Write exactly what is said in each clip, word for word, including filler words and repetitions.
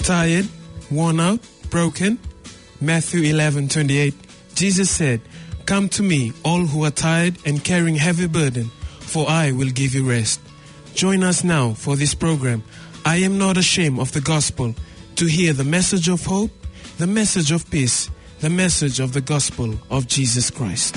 Tired, worn out, broken? Matthew eleven twenty-eight, Jesus said, "Come to me, all who are tired and carrying heavy burden, for I will give you rest." Join us now for this program, I Am Not Ashamed of the Gospel, to hear the message of hope, the message of peace, the message of the gospel of Jesus Christ.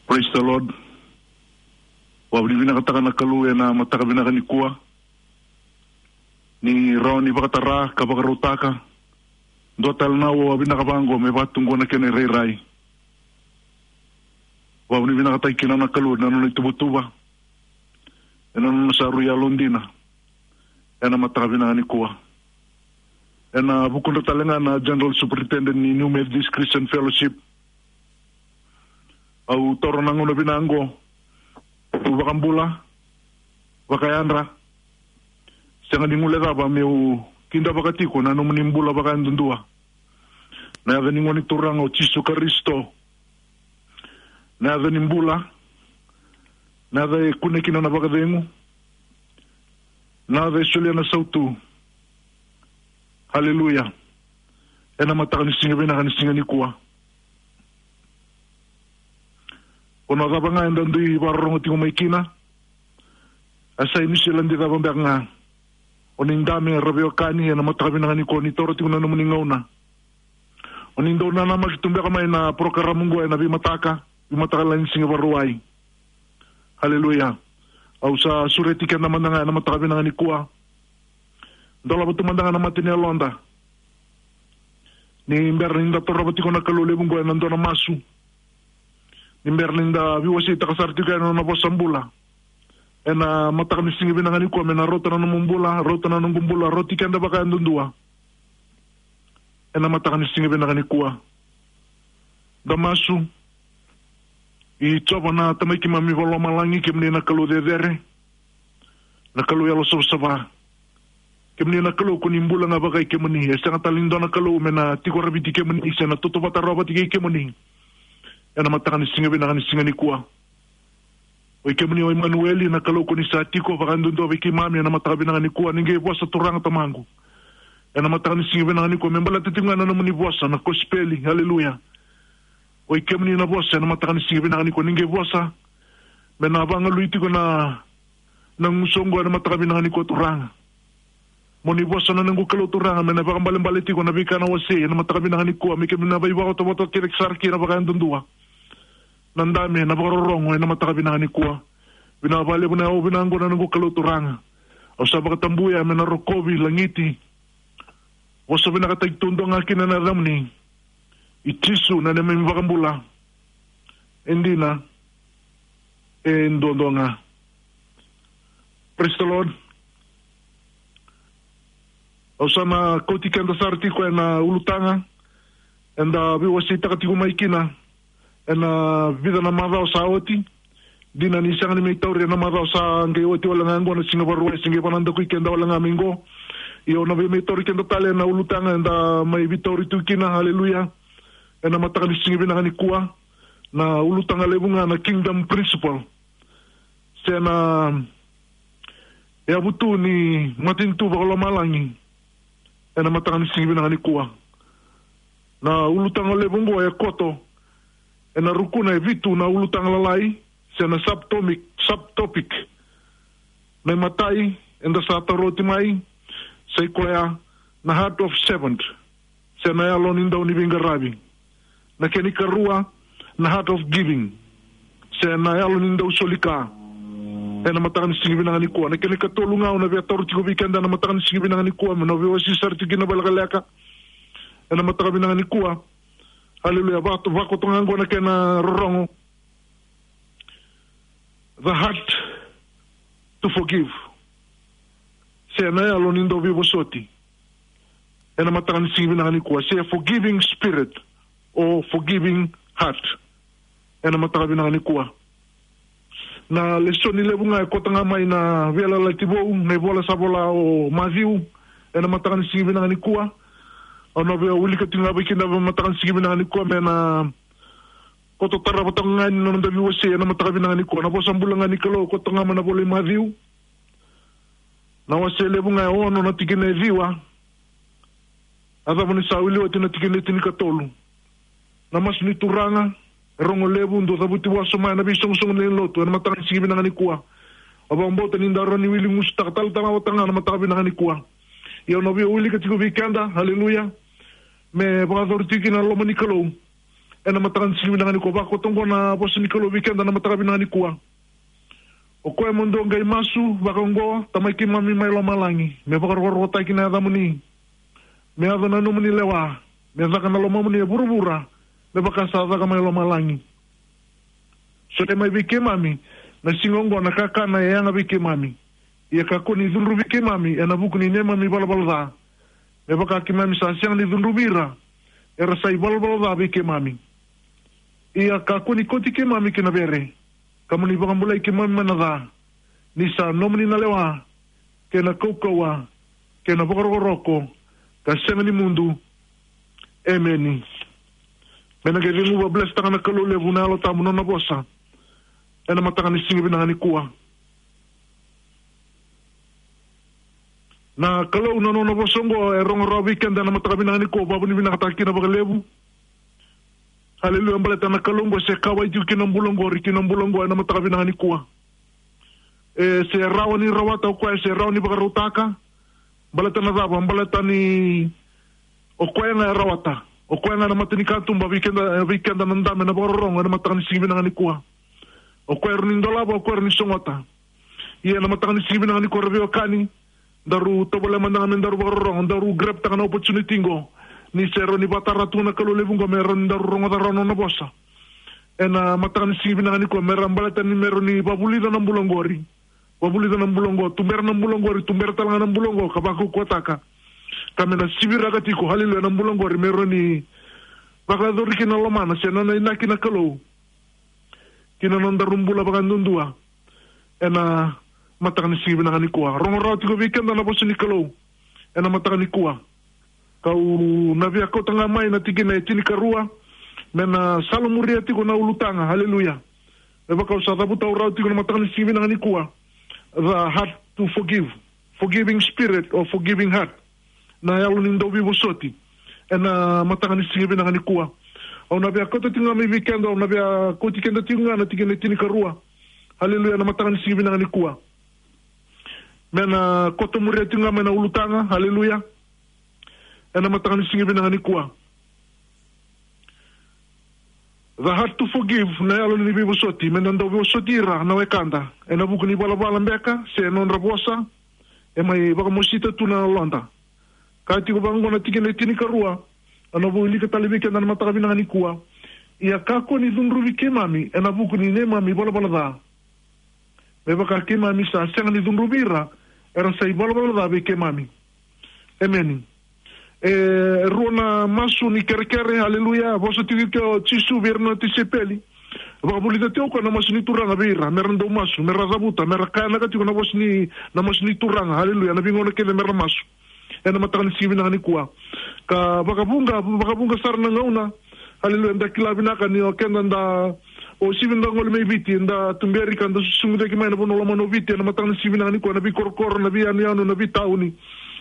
Praise the Lord. Au vakavinavinakataka na Kalou ena mataka vinaka nikua. Ni rawa ni vakatara ka vakarautaka dua tale na aua vinaka vaqo me vakatu qo na kena irairai. Au vakavinavinakataki kina na Kalou na nona ituvatuva, ena nona sa rui yalodina ena mataka vinaka nikua. Ena vukudra tale ga na General Superintendent ni New Methodist Christian Fellowship, au taura na gauna vinaka qo meu vakabula, vakayadra, sega ni guilecava meu kidavaka tiko na nomuni bula vakayadudua. Na yaca ni Gone Turaga o Jisu Karisito, na yaca ni bula, na yaca e kune kina na vakacegu, na yaca e solia na sautu. Haleluya. Ena mataka ni siga vinaka ni siga nikua, o na cava ga eda dui vakarorogo tiko mai kina, a sa i Niusiladi cava beka ga, o ni dame ra veiwekani ena mataka vinaka nikua, ni taura tiko na nomuni gauna. O ni dau nanamaki tu beka mai na porokaramu qo ena veimataka, veimataka lailai ni siga Vakarauwai. Haleluya. Au sa sureti keda mada ga ena mataka vinaka nikua, dolava tu mada ga na mata ni yaloda. Ni bera ni da torova tiko na Kalou levu qo ena dua na masu, ni bera ni da veiwaseitaka sara tiko ena nona vosa bula ena mataka ni siga vinaka nikua, me na rauta na nomu bula, rauta na noqu bula, rauti keda vakayadudua ena mataka ni siga vinaka nikua. Da masu. I Jiova na Tamai keimami vakalomalagi, kemuni na Kalou cecere, na Kalou yalo savasava. Kemuni na Kalou ko ni bula ga vakai kemuni, e sega tale ni dua na Kalou me na tiko raviti kemuni se na tautauvata rawa vata kei kemuni ena mataka ni siga vinaka ni siga nikua. Oi kemuni o Imanueli, na Kalou ko ni sa tiko vakayadudua vei keimami ena mataka vinaka nikua. Ni qai vosa, Turaga Tamaqu, ena mataka ni siga vinaka nikua, me baleta tiko ga na nomuni vosa, na kosipeli. Haleluya. Oi kemuni na vosa ena mataka ni siga vinaka nikua, ni qai vosa me na vagalui tiko na, na gusu oqo ena mataka vinaka nikua, Turaga. Mo ni vosa na noqu Kalou, Turaga, me na vakaibalebale tiko na veika na wasei ena mataka vinaka nikua, me keimami na veivakatautauvata kece sara kina vakayadudua. Na dame, na vakarorogo ena mataka vinaka nikua. Vinaka vakalevu na yau vinaka oqo na noqu Kalou, Turaga. Au sa vakatabuya me na rokovi, lagiti, vosa vinakataki tu dua ga kina na yacamuni. I Jisu na neimami iVakabula. E dina, e duadua ga. Praise the Lord. Au sa na kauti keda sara tiko ena ulutaga eda veiwaseitaka tiko mai kina ena vica na macawa sa oti. Dina ni sega ni mai tauri ena macawa sa qai oti wale ga qo na siga Vakarauwai, se qai vakanadakui keda wale ga mai qo. Ia au na via mai tauri keda tale ena ulutaga eda mai veitauri tu kina. Haleluya. Ena mataka ni siga vinaka nikua, na ulutaga levu ga na Kingdom Principle, se na yavutu ni matanitu vakalomalagi. Ena mataka ni siga vinaka nikua, na ulutaga levu oqo e koto ena rukuna e vitu na ulutaga lalai, se na subtopic, subtopic. Na imatai eda sa taura oti mai, sa i koya na heart of servant, se na yalo ni dau ni veiqaravi. Na kena ikarua, na heart of giving, se na yalo ni dau soli ka. Ena mataka ni siga vinaka nikua, na kena ikatolu ga au na via taura tiko vei keda ena mataka ni siga vinaka nikua, me na veiwasei sara tiko kina vakalekaleka ena mataka vinaka nikua. Haleluya. Vako, vakoto ga oqo na kena rorogo. The heart to forgive, se na yalo ni dau veivosoti. Ena mataka ni siga vinaka nikua, se a forgiving spirit or forgiving heart. Ena mataka vinaka nikua, Na lesoni levu ga e koto ga mai na Veiyalayalati Vou, na ivola sa vola o Maciu, ena mataka ni siga vinaka nikua. Au na via wilika tiko ga vei keda ena mataka ni siga vinaka nikua, me na koto tarava toka ga ni noda veiwasei ena mataka vinaka nikua. Na vosa bula ga ni Kalou koto ga mai na ivola i Maciu. Na wase levu ga e ono na tikina e ciwa. A cava ni sa wili oti na tikina e tinikatolu. Na masu ni Turaga, e rogo levu, dou cavuti vosa mai na veisoqosoqo ni lotu, ena mataka ni siga vinaka nikua. Au vakabauta ni da rawa ni wili gusutaka talatala vata ga na mataka vinaka nikua. Ia au na via wilika tiko vei keda, haleluya. Me vakayacori tiko kina na loma ni Kalou. Ena mataka ni siga vinaka nikua, vakakoto oqo na vosa ni Kalou vei keda na mataka vinaka nikua. O koya mo dou qai masu vaka oqo, Tamai keimami mai lomalagi, me vakarokorokotaki na yacamuni. Me yaco na nomuni lewa, me caka na lomamuni e vuravura, me vaka sa caka mai lomalagi. Solia mai vei keimami na siga oqo na kakana e yaga vei keimami. Ia kakua ni cudruvi keimami ena vuku ni neimami valavala ca, me vaka keimami sa sega ni cudruvi ira era sa ivalavala ca vei keimami. Ia kakua ni kauti keimami ki na vere, ka mo ni vakabulai keimami mai na ca. Ni sa nomuni na lewa, kei na kaukauwa, kei na vakarokoroko, ka sega ni mudu. Emeni. Me na qai ceguva, blesstaka na Kalou levu na Yalo Tabu na nona vosa ena mataka ni siga vinaka nikua. Na Kalou na nona vosa oqo e rogo rawa vei keda ena mataka vinaka nikua, vakavinavinakataka kina vakalevu. Haleluya, baleta na Kalou oqo se kauwai tiko ki na bula oqori, ki na bula oqo ena mataka vinaka nikua. E se rawa ni rawata o koya, e se rawa ni vakarautaka. Baleta na cava? Baleta ni o koya ga e rawata. O koya ga na matanikatuba vei keda, vei keda na dabe, na vakarorogo ena mataka ni siga vinaka nikua. O koya e rawa ni dolava, o koya e rawa ni sogota. Ia ena mataka ni siga vinaka nikua, ra veiwekani, daru tovolea mada ga me daru vakarorogo, daru grab-taka na opportunity qo. Ni se rawa ni vakatara tu na Kalou levu qo me rawa ni daru rogoca rawa na nona vosa. Ena mataka ni siga vinaka nikua, me ra baleta ni me rawa ni vavulica na bula oqori. Vavulica na bula oqo, tubera na bula oqori, tubera tale ga na bula oqo, ka vakaukauwataka. Ka me na siviraka tiko, haleluya, na bula oqori, me rawa ni vakayacori kina na lomana, se nona inaki na Kalou. Ki na nodaru bula vakaduadua. Ena mataka ni siga vinaka nikua. Rogo rawa tiko vei keda na vosa ni Kalou. Ena mataka nikua. Kau na via kauta ga mai na tikina e tinikarua. Me na salamuria tiko na ulutaga. Haleluya. Me vaka au sa cavuta rawa tiko na mataka ni siga vinaka nikua. The heart to forgive. Forgiving spirit or forgiving heart. Na yalo ni dauveivosoti. Ena mataka ni siga vinaka nikua. Au na via kauta tiko ga mai vei keda, au na via kauti keda tiko ga na tikina e tinikarua. Haleluya, na mataka ni siga vinaka nikua. Me na koto muria tiko ga mai na ulutaga, haleluya. Ena mataka ni siga vinaka nikua. The heart to forgive, na yalo ni veivosoti, me na dauvosoti ira na wekada. Ena vuku ni valavala beka, se nodra vosa, e mai vakamosita tu na yaloda. Ka tiko vaqo na tikina e tinikarua, au na wilika tale vei keda na mataka vinaka nikua. Ia kakua ni cudruvi keimami, ena vuku ni neimami valavala ca. Me vaka keimami sa sega ni cudruvi ira, era sa ivalavala ca vei keimami. Emeni. E rua na masu ni kerekere, haleluya, vosa tiko o Jisu vei ira na tisaipeli. Vakavulica tiko o koya na masu ni Turaga vei ira, me ra dau masu, me ra cavuta, me ra kaya vinaka tiko na vosa ni, na masu ni Turaga, haleluya, na veigauna kece me ra masu. Ena mataka ni siga vinaka nikua. Ka vakavuqa, vakavuqa sara na gauna. Haleluya, da kila vinaka ni o keda da, o sivi da gole mai Viti, da tuberi ka da susugi cake mai na vanua lomana o Viti, ena mataka ni siga vinaka nikua, na veikorokoro, na veiyanuyanu, na veitauni.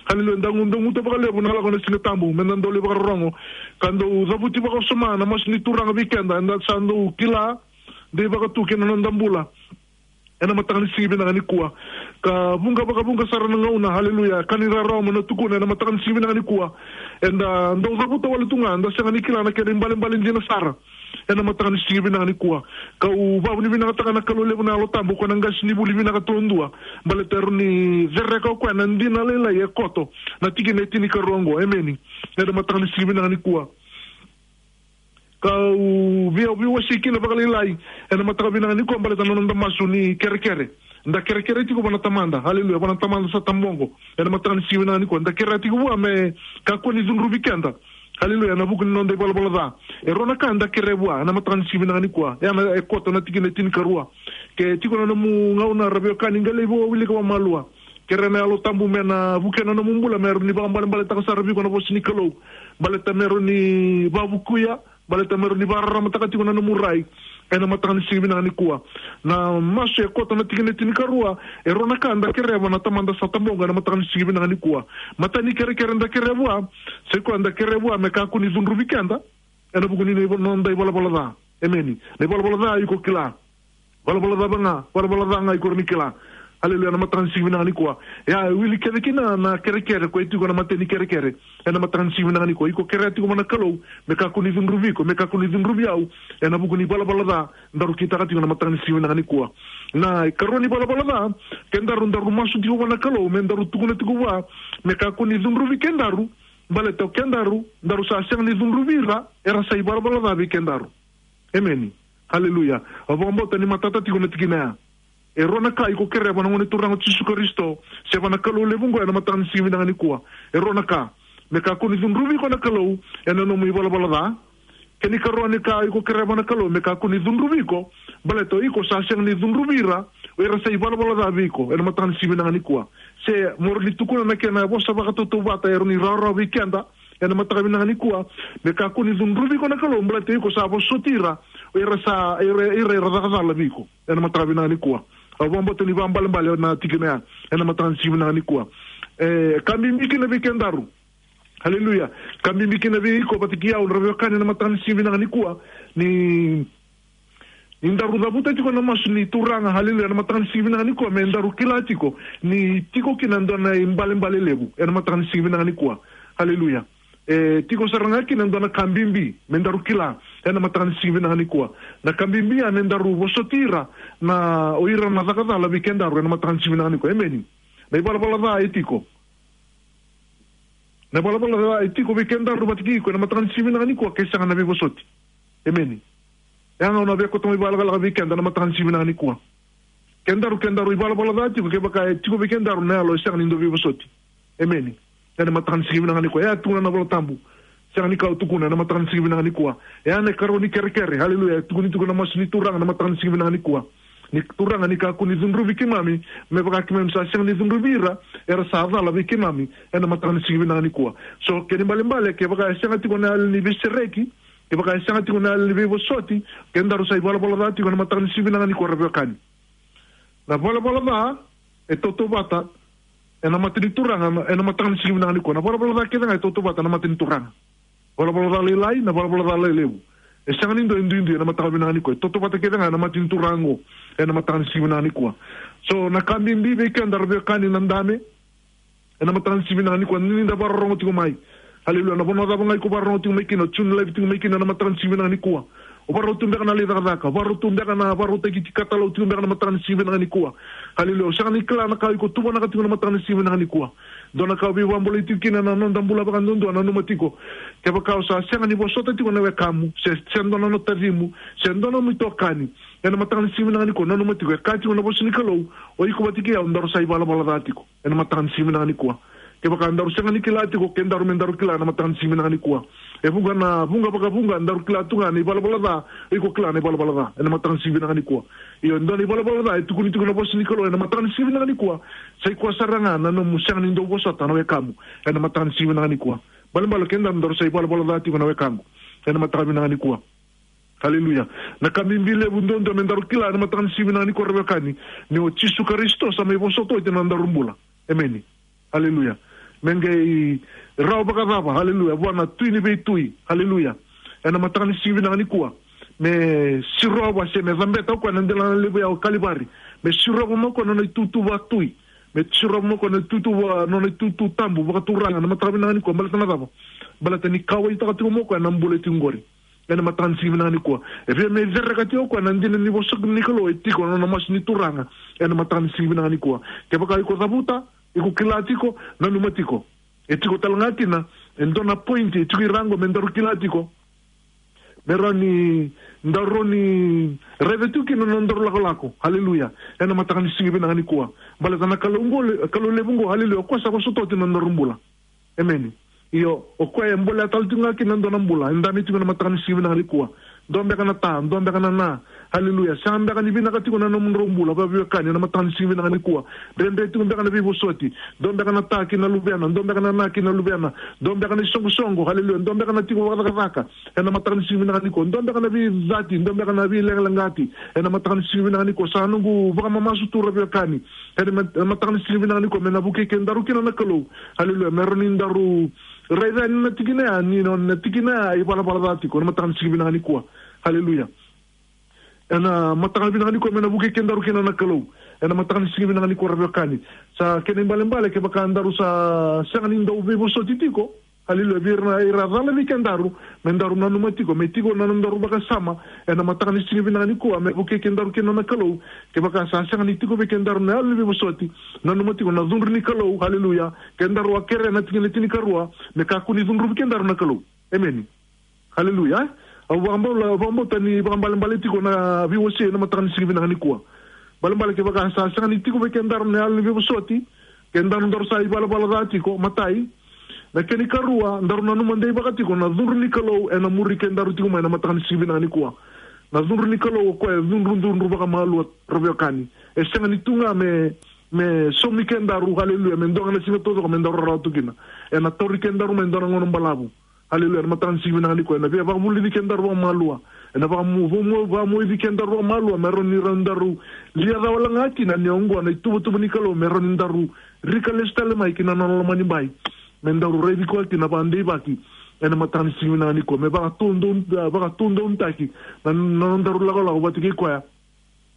Haleluya, da gu-, da guta vakalevu na lako na Siga Tabu, me da dau lai vakarorogo. Ka dau cavuti vakawasoma na masu ni Turaga vei keda, eda sa dau kila, dei vakatu kei na noda bula. Ena mataka ni siga vinaka nikua. Ka vuqa, vakavuqa sara na gauna, haleluya. Ka ni rarawa mo na tukuna, ena mataka ni siga vinaka nikua. Eda dau cavuta wale tu ga, eda sega ni kila na kena ibalebale dina sara. Ena mataka ni siga vinaka nikua. Kau vakavinavinakataka na Kalou levu na Yalo Tabu, ko na qasenivuli vinaka duadua. Baleta e rawa ni cereka o koya na dina lailai e koto. Na tikina e tinikarua oqo, emeni. Ena mataka ni siga vinaka nikua. Kau via, via wasei kina vakalailai. Ena mataka vinaka nikua baleta na noda masu ni kerekere. Da kerekere tiko vua na Tamada. Haleluya. Vua na Tamada sa taboqo. Ena mataka ni siga vinaka nikua. Da kerea tiko vua me kakua ni cudruvi keda. Haleluya. Ena vuku ni noda ivalavala ca. E rua na ka da kerea vua. Ena mataka ni siga vinaka nikua. Ia na e koto na tikina e tinikarua. Ke tiko na nomu gauna, ra veiwekani, qai lai wilika vakamalua. Kerea na Yalo Tabu me na vukea na nomu bula, me rawa ni vakaibalebaletaka sara vei iko na vosa ni Kalou. Baleta me rawa ni vakavukuya, baleta me rawa ni vakararamataka tiko na nomu rai. Ena mataka ni siga vinaka nikua. Na masu e koto na tikina e tinikarua, e rua na ka eda kerea vua na Tamada sa tabogo ena mataka ni siga vinaka nikua. Matai ni kerekere eda kerea vua, sa i koya eda kerea vua me kakua ni cudruvi keda, ena vuku ni noda ivalavala ca. Emeni. Na ivalavala ca iko kila. Valavala ca ga, valavala ca ga iko rawa ni kila. Haleluya, ena mataka ni siga vinaka nikua. Ia, e wili kece kina na kerekere, koya e tiko na matai ni kerekere. Ena mataka ni siga vinaka nikua. Iko kerea tiko vua na Kalou, me kakua ni cudruvi iko, me kakua ni cudruvi au, ena vuku ni valavala ca, daru kitaka tiko ena mataka ni siga vinaka nikua. Na ikarua ni valavala ca, kedaru daru masu tiko vua na Kalou, me daru tukuna tiko vua, me kakua ni cudruvi kedaru, baleta o kedaru, daru sa sega ni cudruvi ira, era sa ivalavala ca vei kedaru. Emeni. Haleluya. Au vakabauta ni matata tiko na tikina ya. E rua na ka iko kerea vua na Gone Turaga o Jisu Karisito, se vua na Kalou levu oqo ena mataka ni siga vinaka nikua. E rua na ka. Me kakua ni cudruvi iko na Kalou, ena nomu ivalavala ca. Kena ikarua ni ka iko kerea vua na Kalou, me kakua ni cudruvi iko, baleta o iko sa sega ni cudruvi ira, o ira sa ivalavala ca vei iko, ena mataka ni siga vinaka nikua. Se mo rawa ni tukuna na kena vosa vakatautauvata, e rawa ni rawarawa vei keda, ena mataka vinaka nikua, me kakua ni cudruvi iko na Kalou, baleta o iko sa vosoti ira, o ira sa, ira, ira, ira caka cala vei iko, ena mataka vinaka nikua. Au vakabauta ni vakaibalebale na tikina ya, ena mataka ni siga vinaka nikua. E, ka bibi kina vei kedaru. Haleluya. Ka bibi kina vei iko vata kei au, ra veiwekani, ena mataka ni siga vinaka nikua. Ni Ni daru cavuta tiko na masu ni Turaga, haleluya, na mataka ni siga vinaka nikua, me daru kila tiko ni tiko kina e dua na ibalebale levu ena mataka ni siga vinaka nikua. Haleluya. E tiko sara ga kina e dua na ka bibi me daru kila ena mataka ni siga vinaka nikua. Na ka bibi ya me daru vosoti ira na, o ira na caka cala vei kedaru ena mataka ni siga vinaka nikua. Emeni. Na ivalavala ca e tiko. Na ivalavala ca e tiko vei kedaru vata kei iko ena mataka ni siga vinaka nikua, ke sega na veivosoti. Emeni. E a gauna via koto mai vakalakalaka vei keda na mataka ni siga vinaka nikua. Kedaru, kedaru ivalavala ca tiko, kevaka e tiko vei kedaru na yalo e sega ni dau veivosoti. Emeni. Ena mataka ni siga vinaka nikua. E a tukuna na Vola Tabu. Sega ni kau tukuna ena mataka ni siga vinaka nikua. E a na ikarua ni kerekere. Haleluya. E tukuni tiko na masu ni Turaga na mataka ni siga vinaka nikua. Ni Turaga ni kakua ni cudruvi keimami, me vaka keimami sa sega ni cudruvi ira, era sa cala vei keimami, ena mataka ni siga vinaka nikua. So, kena ibalebale, kevaka e sega tiko na yalo ni veisereki, kevaka e sega tiko na yalo ni veivosoti, kedaru sa ivalavala ca tiko ena mataka ni siga vinaka nikua, ra veiwekani. Na valavala ca e tautauvata ena mata ni Turaga, ena mataka ni siga vinaka nikua. Na valavala ca kece ga e tautauvata ena mata ni Turaga. Valavala ca lailai, na valavala ca lailevu. E sega ni dua e duidui ena mataka vinaka nikua. E tautauvata kece ga ena mata ni Turaga oqo, ena mataka ni siga vinaka nikua. So, na ka bibi vei keda, ra veiwekani, na dame, ena mataka ni siga vinaka nikua, ni da vakarorogo tiko mai. Haleluya. Na vanua cava ga iko vakarorogo tiko mai kina, o tune live tiko mai kina ena mataka ni siga vinaka nikua. O vakarau tu beka na lai cakacaka, o vakarau tu beka na vakarautaki tiko, katalau tiko beka na mataka ni siga vinaka nikua. Haleluya. O sega ni kila na ka iko tuvanaka tiko na mataka ni siga vinaka nikua. Dua na ka o veivakabulai tiko kina na noda bula vakaduadua, nanuma tiko. Kevaka o sa sega ni vosota tiko na wekamu, se, se dua na nomu tacimu, se dua na nomu itokani, ena mataka ni siga vinaka nikua, nanuma tiko, e kaya tiko na vosa ni Kalou, o iko vata kei au daru sa ivalavala ca tiko ena mataka ni siga vinaka nikua. Kevaka daru sega ni kila tiko, kedaru me daru kila ena mataka ni siga vinaka nikua. E vuqa na vuqa vakavuqa daru kila tu ga na ivalavala ca, iko kila na ivalavala ca ena mataka ni siga vinaka nikua. Io, e dua na ivalavala ca e tukuni tiko na vosa ni Kalou ena mataka ni siga vinaka nikua, sa i koya sara ga na nomu sega ni dau vosota na wekamu ena mataka ni siga vinaka nikua. Balebale kedaru daru sa ivalavala ca tiko, na wekaqu, ena mataka vinaka nikua. Haleluya. Na ka bibi levu duadua me daru kila ena mataka ni siga vinaka nikua, ra veiwekani, ni o Jisu Karisito sa mai vosota oti na nodaru bula. Emeni. Haleluya. Me qai rawa vakacava, haleluya, vua na Tui ni veitui, haleluya, ena mataka ni siga vinaka nikua, me sirova se me cabeta o koya na delana levu ya o Kalivari, me sirova mai o koya na nona itutu vakatui, me sirova mai o koya na itutu va, nona itutu tabu vakaturaga ena mataka vinaka nikua. Baleta na cava? Baleta ni kauwaitaka tiko mai o koya na bula e tiko qori ena mataka ni siga vinaka nikua. E via me cereka tiko o koya na dina ni vosa ni Kalou e tiko na nona masu ni Turaga ena mataka ni siga vinaka nikua. Kevaka iko cavuta, iko kila tiko, nanuma tiko. E tiko tale ga kina e dua na point e tiko i ra oqo me daru kila tiko, me rawa ni daru rawa ni raica tiko kina na nodaru lakolako. Haleluya. Ena mataka ni siga vinaka nikua. Baleta na Kalou oqo le-, Kalou levu oqo, haleluya, o koya sa vosota oti na nodaru bula. Emeni. Io, o koya e bolea tale tiko ga kina e dua na bula, e dabe tiko ena mataka ni siga vinaka nikua. Dua beka na ta, dua beka na na. Haleluya. Sega beka ni vinaka tiko na nomudrau bula, vaveiwekani, ena mataka ni siga vinaka nikua. Dredre tiko beka na veivosoti. Dua beka na ta ki na luvena, dua beka na na ki na luvena. Dua beka na isoqosoqo, haleluya. Dua beka na tiko vakacakacaka. Ena mataka ni siga vinaka nikua. Dua beka na veicati, dua beka na veileqaleqati. Ena mataka ni siga vinaka nikua. Sa noqu vakamamasu tu, ra veiwekani. Ena mat-, ena mataka ni siga vinaka nikua. Me na vukei kedaru kina na Kalou. Haleluya. Me rawa ni daru raica yani na tikina ya, ni na, na tikina ya e ivalavala ca tiko. Ena mataka ni siga vinaka nikua. Haleluya. Ena mataka vinaka nikua me na vukei kedaru kina na Kalou. Ena mataka ni siga vinaka nikua, ra veiwekani. Sa kena ibalebale kevaka daru sa sega ni dau veivosoti tiko. Haleluya. Vei ira na, ira cala vei kedaru, me daru nanuma tiko, me tiko na nodaru vakasama. Ena mataka ni siga vinaka nikua, me vukei kedaru kina na Kalou. Kevaka sa sega ni tiko vei kedaru na yalo ni veivosoti, nanuma tiko na cudru ni Kalou. Haleluya. Kedaru a kerea na tikina tinikarua, me kakua ni cudruvi kedaru na Kalou. Emeni. Haleluya. Au vakabau-, vakabauta ni vakaibalebale tiko na veiwasei ena mataka ni siga vinaka nikua. Balebale kevaka sa sega ni tiko vei kedaru na yalo ni veivosoti, kedaru daru sa ivalavala ca tiko, matai. Na kena ikarua, daru nanuma deivaka tiko na cudru ni Kalou ena muri kedaru tiko mai ena mataka ni siga vinaka nikua. Na cudru ni Kalou o koya e cudru, cudru vakamalua, ra veiwekani. E sega ni tu ga me, me saumi kedaru, haleluya, me dua ga na siga taucoko me daru rarawa tu kina. Ena tauri kedaru mai dua na gauna balavu. Haleluya. Ena mataka ni siga vinaka nikua, ena via vakavulici kedaru vakamalua. Ena vakamu-, vakamu-, vakamuici kedaru vakamalua, me rawa ni daru lia ca wale ga kina, ni oqo na ituvatuva ni Kalou, me rawa ni daru rika lesu tale mai ki na nona lomanibai. Me daru raici koya kina vakadeivaki. Ena mataka ni siga vinaka nikua, me vakatudou-, vakatudounaitaki na, na nodaru lakolako vata kei koya.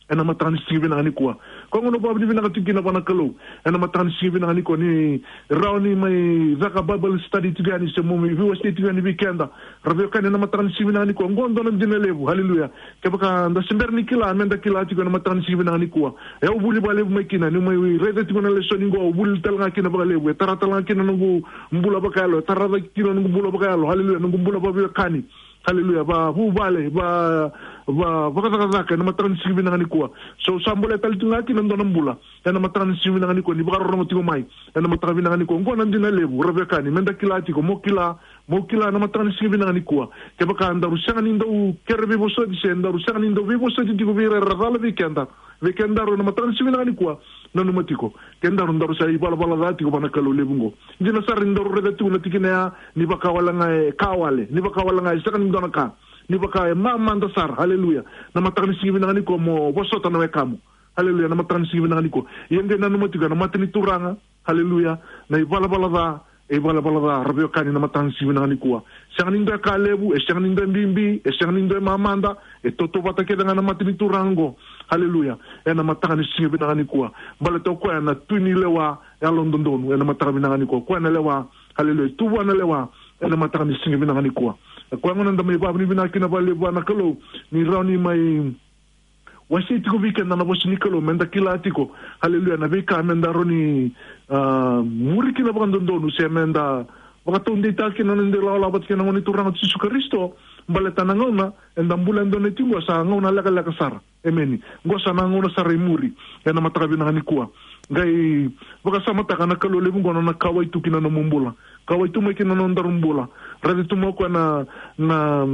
Ena mataka ni siga vinaka nikua. Koya gona au vakavinavinaka tiko kina vua na Kalou. Ena mataka ni siga vinaka nikua, ni rawa ni mai caka Bible study tiko yani, se mo mai veiwasei tiko yani vei keda, ra veiwekani, ena mataka ni siga vinaka nikua. Oqo dua na dina levu. Haleluya. Kevaka da se bera ni kila, me da kila tiko ena mataka ni siga vinaka nikua. E au vuli vakalevu mai kina, niu mai raica tiko na lesoni qo, au vuli tale ga kina vakalevu. E tara tale ga kina na noqu bula vakayalo, e tara cake kina na noqu bula vakayalo. Haleluya. Noqu bula vaveiwekani. Haleluya. Vavuvale, va, va, vakacakacaka ena mataka ni siga vinaka nikua. So, sa bolea tale tu ga kina dua na bula ena mataka ni siga vinaka nikua, ni vakarorogo tiko mai ena mataka vinaka nikua. Oqo na dina levu, ra veiwekani, me da kila tiko, mo kila, mo kila ena mataka ni siga vinaka nikua. Kevaka daru sega ni dau kere veivosoti, se daru sega ni dau veivosoti tiko vei ira era cala vei keda, vei kedaru ena mataka ni siga vinaka nikua, nanuma tiko, kedaru daru sa ivalavala ca tiko vua na Kalou levu oqo. Dina sara ni daru raica tiko na tikina ya, ni vaka wale ga e ka wale, ni vaka wale ga e sega ni dua na ka, ni vaka e mamada sara. Haleluya. Na mataka ni siga vinaka nikua, mo vosota na wekamu. Haleluya. Na mataka ni siga vinaka nikua, ia qai nanuma tiko na mata ni Turaga. Haleluya. Na ivalavala ca, e ivalavala ca, ra veiwekani, na mataka ni siga vinaka nikua. Sega ni dua e ka levu, e sega ni dua e bibi, e sega ni dua e mamada, e tautauvata kece ga na mata ni Turaga oqo. Haleluya. Ena mataka ni siga vinaka nikua. Baleta o koya na Tui ni lewa yalododonu, ena mataka vinaka nikua. O koya na lewa, haleluya, tu vua na lewa ena mataka ni siga vinaka nikua. O koya gona da mai vakavinavinaka kina vakalevu vua na Kalou, ni rawa ni mai wasei tiko vei keda na vosa ni Kalou, me da kila tiko, haleluya, na veika me da rawa ni, ah, muri kina vakadodonu, se me da vakataudeitaka kina na noda ilakolako vata kei na Gone Turaga o Jisu Karisito. Baleta na gauna eda bula e dua na tiko qo sa gauna lekaleka sara. Emeni. Qo sa na gauna sara i muri, ena mataka vinaka nikua. Qai vakasamataka na Kalou levu oqo na nona kauwai tu ki na nomu bula. Kauwai tu mai ki na nodaru bula. Raica tu mai o koya na, na,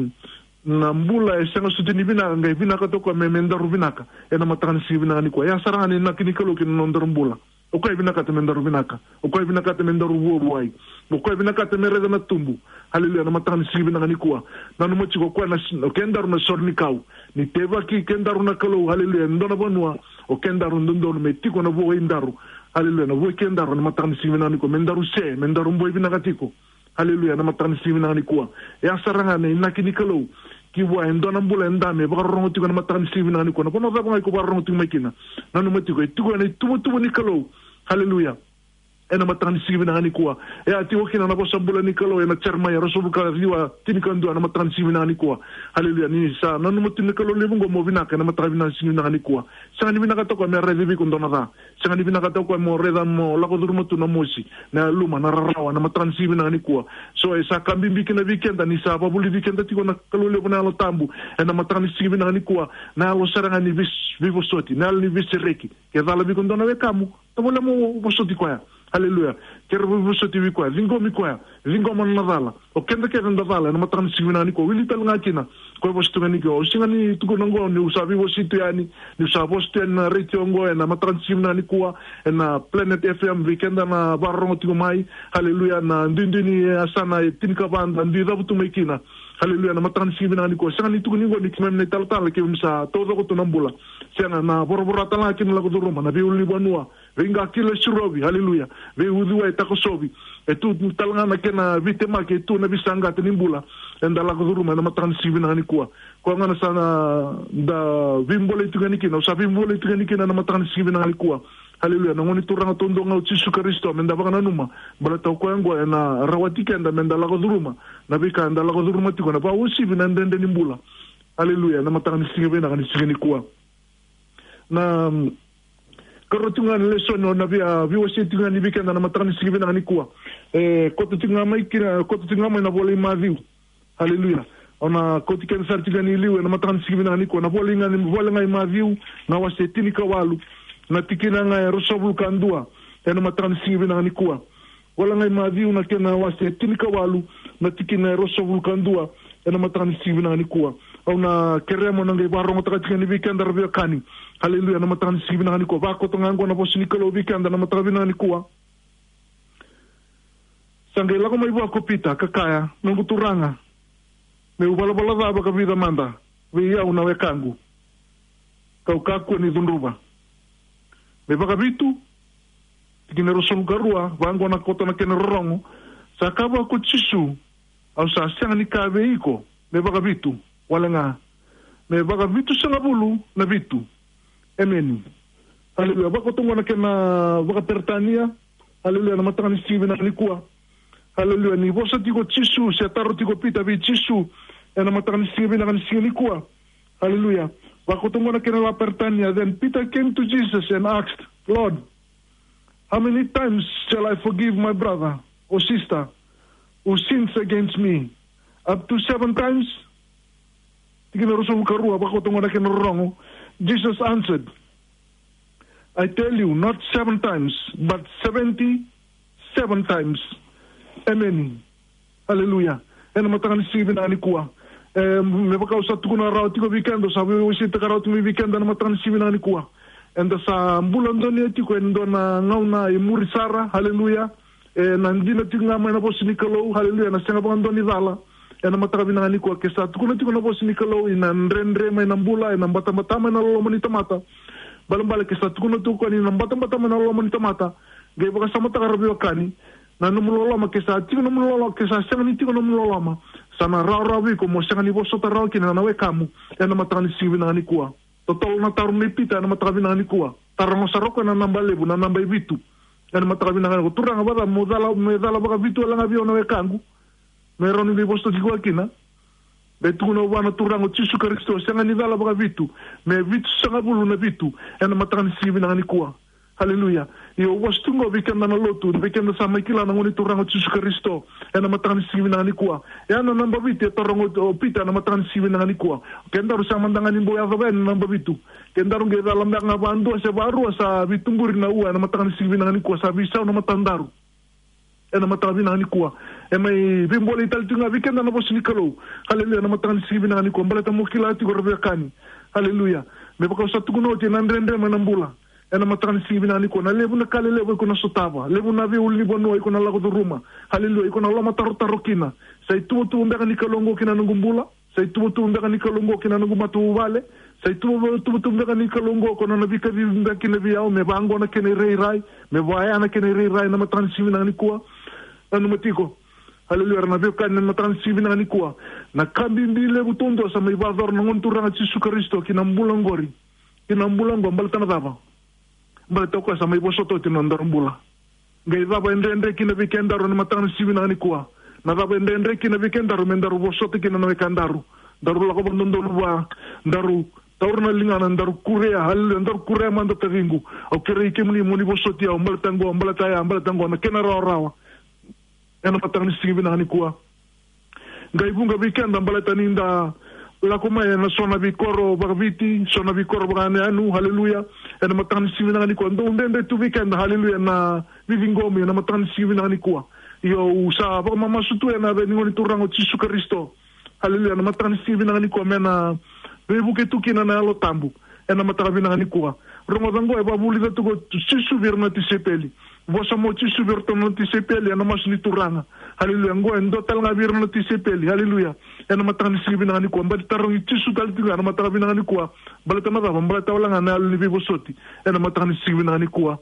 na bula e sega soti ni vinaka, qai vinakata o koya me, me daru vinaka. Ena mataka ni siga vinaka nikua. Ya sara ga na inaki ni Kalou ki na nodaru bula. O koya e vinakata me daru vinaka. O koya e vinakata me daru vuavuai. O koya e vinakata me raica na tubu. Haleluya, na mataka ni siga vinaka nikua. Nanuma tiko o koya na s-, o kedaru na sore ni kau. Ni teivaki kedaru na Kalou, haleluya, e dua na vanua, o kedaru dodonu me tiko na vua i daru. Haleluya, na vua i kedaru, na mataka ni siga vinaka nikua. Me daru se, me daru boi vinaka tiko. Haleluya, na mataka ni siga vinaka nikua. E a sara ga na inaki ni Kalou ki vua e dua na bula e dame, vakarorogo tiko na mataka ni siga vinaka nikua. Na vanua cava ga iko vakarorogo tiko mai kina, nanuma tiko, e tiko ena ituvatuva ni Kalou. Haleluya. Ena mataka ni siga vinaka nikua. E a tiko kina na vosa bula ni Kalou ena Jeremaia ruasagavulu ka ciwa, tinikadua, na mataka ni siga vinaka nikua. Haleluya. Ni sa nanuma tu na Kalou levu oqo mo vinaka ena mataka vinaka ni siga vinaka nikua. Sega ni vinakata o koya me raici vei iko dua na ca. Sega ni vinakata o koya mo raica mo lako curuma tu na mosi, na yaluma, na rarawa, na mataka ni siga vinaka nikua. So, e sa ka bibi kina vei keda, ni sa vakavulici keda tiko na Kalou levu na Yalo Tabu ena mataka ni siga vinaka nikua, na yalo sara ga ni veis-, veivosoti, na yalo ni veisereki. Ke cala vei iko dua na wekamu, tovolea mo vosoti koya. Haleluya. Kere vosoti vei koya, ciqomi koya, ciqoma na cala. O keda kece da cala ena mataka ni siga vinaka nikua. Wili tale ga kina koya vosa tu ga nikua. Au sega ni tukuna oqo niu sa veiwasei tu yani, niu sa vosa tu yani na retio oqo ena mataka ni siga vinaka nikua, ena Planet F M, vei keda na vakarorogo tiko mai. Haleluya. Na duidui ni yasana e tinikava da dui cavutu mai kina. Haleluya. Na mataka ni siga vinaka nikua, sega ni tukuni oqo ni keimami na italatala, keimami sa taucoko tu na bula. Sega, na voravora tale ga kina lako curuma na veiulunivanua, veiqakilo e sirovi, haleluya, veiuciwai e takosovi. E tu tale ga na kena veitemaki, e tu na veisaqata ni bula eda lako curuma ena mataka ni siga vinaka nikua. Koya ga na sa na da veibolei tu ga ni kina, au sa veibolei tu ga ni kina ena mataka ni siga vinaka nikua. Haleluya. Na Gone Turaga taudua ga o Jisu Karisito meda vakananuma, baleta o koya oqo ena rawati keda meda lako curuma na veika eda lako curuma tiko, na vakauasivi, na dredre ni bula. Haleluya. Na mataka ni siga vinaka ni siga nikua. Na, mm, karua tiko ga ni lesoni au na via, veiwasei tiko ga ni vei keda na mataka ni siga vinaka nikua. E, koto tiko ga mai kina, koto tiko ga mai na vola i Maciu. Haleluya. Au na kauti keda sara tiko ga ni liu ena mataka ni siga vinaka nikua. Na vola i ga ni, vola ga i Maciu, na wase tinikawalu, na tikina ga e ruasagavulu ka dua ena mataka ni siga vinaka nikua. Vola ga i Maciu na kena wase tinikawalu, na tikina e ruasagavulu ka dua ena mataka ni siga vinaka nikua. Au na kerea mo na qai vakarogotaka tiko yani vei keda ra veiwekani. Haleluya, na mataka ni siga vinaka nikua. Vakoto ga oqo na vosa ni Kalou vei keda na mataka vinaka nikua. Sa qai lako mai vua ko Pita ka kaya, noqu Turaga, meu valavala ca vakavica mada vei au na wekaqu, kau kakua ni cudruva? Me vakavitu? Tikina e ruasagavulu ka rua, vaqo na koto na kena rorogo. Sa kaya vua ko Jisu, au sa sega ni kaya vei iko me vakavitu, wale ga me vakavitusagavulu na vitu. Emeni. Haleluya. Vakoto oqo na kena vakaperitania. Haleluya. Na mataka ni siga vinaka nikua. Haleluya. Ni vosa tiko Jisu, se taro tiko Pita vei Jisu ena mataka ni siga vinaka ni siga nikua. Haleluya. Vakoto oqo na kena vakaperitania. Then Peter came to Jesus and asked, Lord, how many times shall I forgive my brother or sister who sins against me? Up to seven times? Tikina e ruasagavulu ka rua, vakoto oqo na kena rorogo. Jesus answered, I tell you, not seven times, but seventy-seven times. Amen. Haleluya. Ena mataka ni siga vinaka nikua. E, me vaka au sa tukuna rawa tiko vei keda, au sa veiwaseitaka rawa tiko vei keda ena mataka ni siga vinaka nikua. Eda sa bula donuya tiko ena dua na gauna e muri sara, haleluya. E, na dina tiko ga mai na vosa ni Kalou, haleluya, na sega vakadua ni cala. Ena mataka vinaka nikua, ke sa tukuna tiko na vosa ni Kalou, ena dredre mai na bula, ena batabata mai na loloma ni tamata. Balebale ke sa tukuna tiko ni na batabata mai na loloma ni tamata, qai vakasamataka ra veiwekani. Na nomu loloma, ke sa tiko nomu loloma, ke sa sega ni tiko nomu loloma, sa na rawarawa vei iko mo sega ni vosota rawa kina na wekamu ena mataka ni siga vinaka nikua. Totolo na taro nei Pita ena mataka vinaka nikua. Taroga sara o koya na naba levu, na naba e vitu. Ena mataka vinaka nikua, Turaga, vacava, meu cala, meu cala vakavitu wale ga vei au na wekaqu? Me rawa ni qai vosota tiko kina. Me tukuna vua na Turaga o Jisu Karisito, sega ni cala vakavitu, me vitusagavulu na vitu ena mataka ni siga vinaka nikua. Haleluya. Io, au vosa tu qo vei keda na lotu, vei keda sa mai kila na Gone Turaga o Jisu Karisito ena mataka ni siga vinaka nikua. Ia na naba vitu e taroga o Pita ena mataka ni siga vinaka nikua. Kedaru sa mada ga ni bau yacova yani na naba vitu. Kedaru qai cala beka ga vadua se varua sa veituburi na ua ena mataka ni siga vinaka nikua, sa veisau na matadaru. Ena mataka vinaka nikua, e mai veibolei tale tiko ga vei keda na vosa ni Kalou. Haleluya. Ena mataka ni siga vinaka nikua, baleta mo kila tiko ra veiwekani. Haleluya. Me vaka au sa tukuna oti, ena dredre mai na bula. Ena mataka ni siga vinaka nikua, na levu na ka lelevu iko na sotava, levu na veiulunivanua iko na lako curuma. Haleluya. Iko na lomatarotaro kina, sa ituvatuva beka ni Kalou oqo kina noqu bula? Sa ituvatuva beka ni Kalou oqo kina noqu matavuvale? Sa ituvatuva beka ni Kalou oqo ko na veikacivi beka kina vei au, me vaqo na kena irairai, me vaya na kena irairai ena mataka ni siga vinaka nikua? Nanuma tiko. Haleluya. Ra na veiwekani, ena mataka ni siga vinaka nikua, na ka bibi levu taudua sa mai vakayacora na Gone Turaga Jisu Karisito ki na bula oqori, ki na bula oqo, baleta na cava? Baleta o koya sa mai vosota oti na nodaru bula. Qai cava e dredre kina vei kedaru ena mataka ni siga vinaka nikua? Na cava e dredre kina vei kedaru me daru vosota kina na wekadaru? Daru lako vakadodonu vua, daru taura na ligana, daru kurea, haleluya, daru kurea mada, taciqu, au kerei kemuni mo ni vosoti au, baleta qo, baleta ya, baleta qo, na kena rawarawa. Ena mataka ni siga vinaka nikua, qai vuqa vei keda baleta ni da lako mai ena so na veikoro vakaviti, so na veikoro vakayanuyanu, haleluya. Ena mataka ni siga vinaka nikua, dau dredre tu vei keda, haleluya, na veiciqomi ena mataka ni siga vinaka nikua. Io, au sa vakamamasu tu ena yaca ni Gone Turaga o Jisu Karisito. Haleluya, ena mataka ni siga vinaka nikua, me na veivuke tu kina na Yalo Tabu. Ena mataka vinaka nikua. Rogoca qo e vakavulica tu ko Jisu vei ira na tisaipeli. Vosa mai o Jisu vei iratou na tisaipeli ena masu ni Turaga. Haleluya. Qo e dua tale ga vei ira na tisaipeli. Haleluya. Ena mataka ni siga vinaka nikua. Baleta tarogi Jisu tale tiko ga ena mataka vinaka nikua. Baleta na cava? Baleta wale ga na yalo ni veivosoti. Ena mataka ni siga vinaka nikua.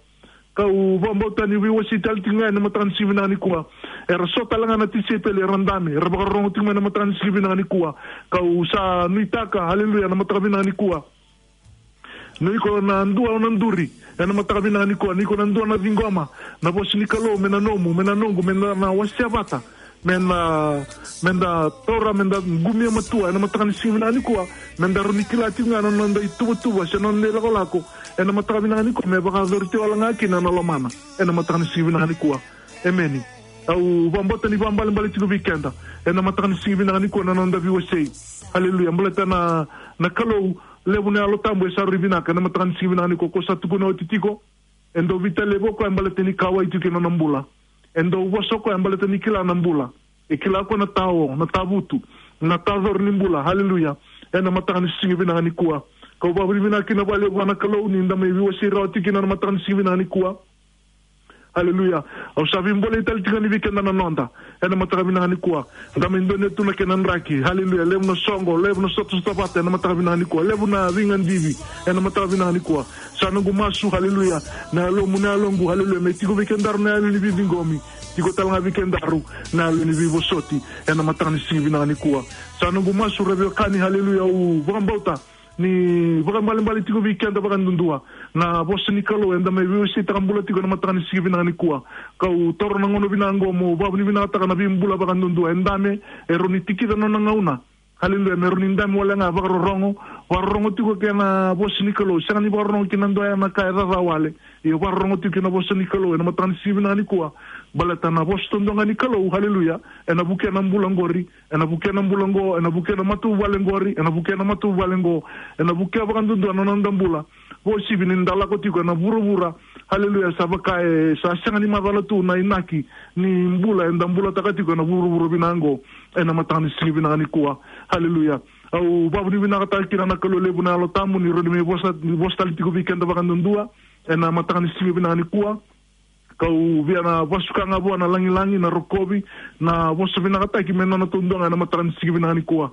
Kau vakabauta ni veiwasei tale tiko ga ena mataka ni siga vinaka nikua. Era so tale ga na tisaipeli, era dabe, era vakarorogo tiko mai ena mataka ni siga vinaka nikua. Kau sa nuitaka, haleluya, ena mataka vinaka nikua. Ni iko na dua o na duri, ena mataka vinaka nikua, ni iko na dua na ciqoma na vosa ni Kalou, me na nomu, me na noqu, me na, na wasea vata, me na, me da taura, me da qumia matua, ena mataka ni siga vinaka nikua, me da rawa ni kila tiko ga na noda ituvatuva, se na noda ilakolako, ena mataka vinaka nikua, me vakayacori tiko wale ga kina na lomana, ena mataka ni siga vinaka nikua. Emeni. Au vakabauta ni vakaibalebale tiko vei keda ena mataka ni siga vinaka nikua na noda veiwasei. Haleluya. Baleta na, na Kalou, levu na Yalo Tabu e sa rui vinaka ena mataka ni siga vinaka nikua, ko sa tukuna oti tiko. E dau veitalevi o koya baleta ni kauwai tiko kina na bula. E dau vosa o koya baleta ni kila na bula. E kila o koya na tao, na tavutu, na tacori ni bula. Haleluya. Ena mataka ni siga vinaka nikua, kau vakavinavinaka kina vakalevu vua na Kalou ni da mai veiwasei rawa tiko kina na mataka ni siga vinaka nikua. Haleluya. Au sa veibolei tale tiko ga ni vei keda na noda ena mataka vinaka nikua. Da mai donuya tu na kena draki. Haleluya. Levu na soqo, levu na sotasota vata ena mataka vinaka nikua. Levu na veigadivi ena mataka vinaka nikua. Sa noqu masu, haleluya, na yalomu, na yaloqu, haleluya, me tiko vei kedaru na yalo ni veiciqomi. Tiko tale ga vei kedaru na yalo ni veivosoti ena mataka ni siga vinaka nikua. Sa noqu masu, ra veiwekani, haleluya, au vakabauta ni vakaibalebale tiko vei keda vakadudua na vosa ni Kalou eda mai veiwaseitaka bula tiko ena mataka ni siga vinaka nikua. Kau taura na gauna vinaka oqo meu vakavinavinakataka na veibula vakadudua. E dabe, e rawa ni tikica na nona gauna. Haleluya, me rawa ni dabe wale ga, vakarorogo, vakarorogo tiko kei na vosa ni Kalou. Sega ni vakarorogo kina dua ya na ka e caca wale. Io, vakarorogo tiko kei na vosa ni Kalou ena mataka ni siga vinaka nikua. Baleta na vosa taudua ga ni Kalou, haleluya, ena vukea na bula qori, ena vukea na bula qo, ena vukea na matavuvale qori, ena vukea na matavuvale qo, ena vukea vakadudua na noda bula. Vakauasivi ni da lako tiko ena vuravura, haleluya, sa vaka e sa sega ni macala tu na inaki ni bula eda bulataka tiko ena vuravura vinaka qo ena mataka ni siga vinaka nikua. Haleluya. Au vakavinavinakataka kina na Kalou levu na Yalo Tabu ni rawa ni mai vosa, ni vosa tale tiko vei keda vakadudua ena mataka ni siga vinaka nikua. Kau via na vasuka ga vua na lagilagi, na rokovi, na vosa vinakataki me nona taudua ga ena mataka ni siga vinaka nikua.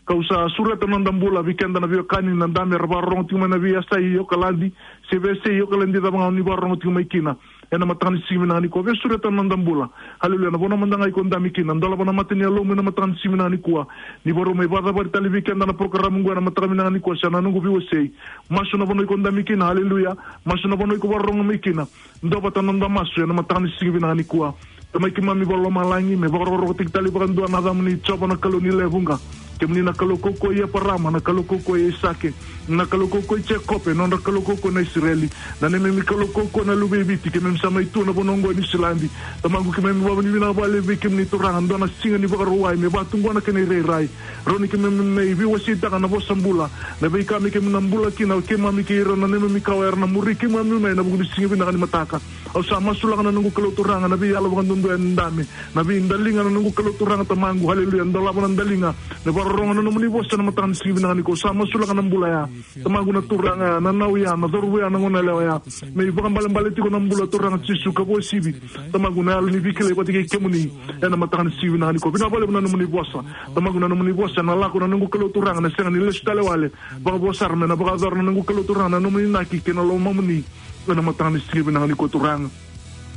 Kau sa sureta na noda bula vei keda na veiwekani na dabe era vakarorogo tiko mai na veiyasai Okaladi, se veiyasai Okaladi cava ga o ni vakarorogo tiko mai kina ena mataka ni siga vinaka nikua. Via sureta na noda bula. Haleluya. Na vanua mada ga iko dabe kina, dolava na mata ni yalomu ena mataka ni siga vinaka nikua. Ni vakarau mai vakacavari tale vei keda na porokaramu qo ena mataka vinaka nikua, sa na noqu veiwasei. Masu na vanua iko dabe kina, haleluya. Masu na vanua iko vakarorogo mai kina. Dua vata na noda masu ena mataka ni siga vinaka nikua. Tamai keimami vakalomalagi, me vakarokorokotaki tale vakadua na yacamuni, Jiova na Kalou ni lewe vuqa. Kemuni na Kalou kaukauwa i Eparama, na Kalou kaukauwa i Aisake, na Kalou kaukauwa i Jekope, na nodra Kalou kaukauwa na Isireli. Na neimami Kalou kaukauwa na luve i Viti, keimami sa mai tu ena vanua oqo e Niusiladi. Tamaqu, keimami vakavinavinaka vakalevu vei kemuni Turaga, dua na siga ni Vakarauwai, me vaka tu qo na kena irairai. Rawa ni keimami mai veiwaseitaka na vosa bula, na veika me keimami na bula kina, o keimami kei ira na neimami kawa era na muri keimami mai ena vuku ni siga vinaka ni mataka. Au sa masulaka na noqu Kalou Turaga na veiyalo vakadudua e dabe, na veidaliga na noqu Kalou Turaga Tamaqu, haleluya, dolava na daliga, me vakarorogo na nomuni vosa ena mataka ni siga vinaka nikua. Au sa masulaka na bula ya, Tamaqu, na turaga ya, na nau ya, na cauravou ya, na goneyalewa ya, me ivakaibalebale tiko na bula Turaga Jisu, ka vakauasivi, Tamaqu, na yalo ni veikilai vata kei kemuni ena mataka ni siga vinaka nikua. Vinaka vakalevu na nomuni vosa, Tamaqu, na nomuni vosa ena lako, na noqu Kalou Turaga, na sega ni lesu tale wale. Vakavo sara me na vakayacora na noqu Kalou Turaga na nomuni inaki kei na lomamuni ena mataka ni siga vinaka nikua Turaga.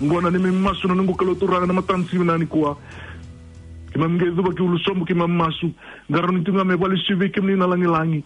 Oqo na neimami masu na noqu Kalou Turaga ena mataka ni siga vinaka nikua. Keimami qai cuva ki ulu sobu, keimami masu. Qarauni tu ga me vakalesui vei kemuni na lagilagi.